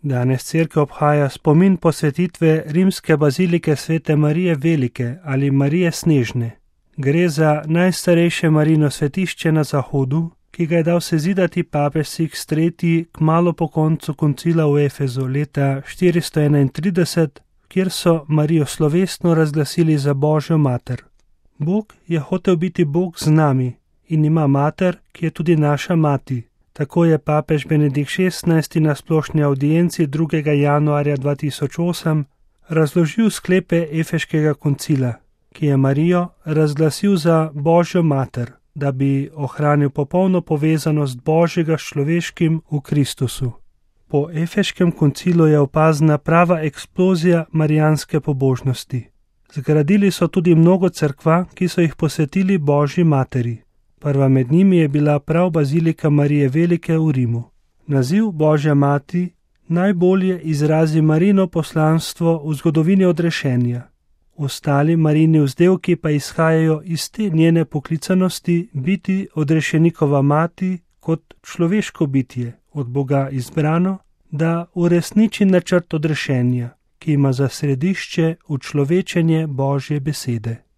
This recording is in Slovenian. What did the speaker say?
Danes cerkev obhaja spomin posvetitve rimske bazilike Svete Marije Velike ali Marije Snežne. Gre za najstarejše Marijino svetišče na Zahodu, ki ga je dal sezidati papež Sixt III. Kmalu po koncu koncila v Efezu leta 431, kjer so Marijo slovesno razglasili za Božjo mater. Bog je hotel biti Bog z nami in ima mater, ki je tudi naša mati. Tako je papež Benedikt XVI. Na splošni audienci 2. januarja 2008 razložil sklepe Efeškega koncila, ki je Marijo razglasil za Božjo mater, da bi ohranil popolno povezanost Božjega s človeškim v Kristusu. Po Efeškem koncilu je opazna prava eksplozija marijanske pobožnosti. Zgradili so tudi mnogo cerkva, ki so jih posvetili Božji materi. Prva med njimi je bila prav bazilika Marije Velike v Rimu. Naziv Božja mati najbolje izrazi Marijino poslanstvo v zgodovini odrešenja. Ostali Marijini vzdevki pa izhajajo iz te njene poklicanosti biti odrešenikova mati kot človeško bitje, od Boga izbrano, da uresniči načrt odrešenja, ki ima za središče učlovečenje Božje besede.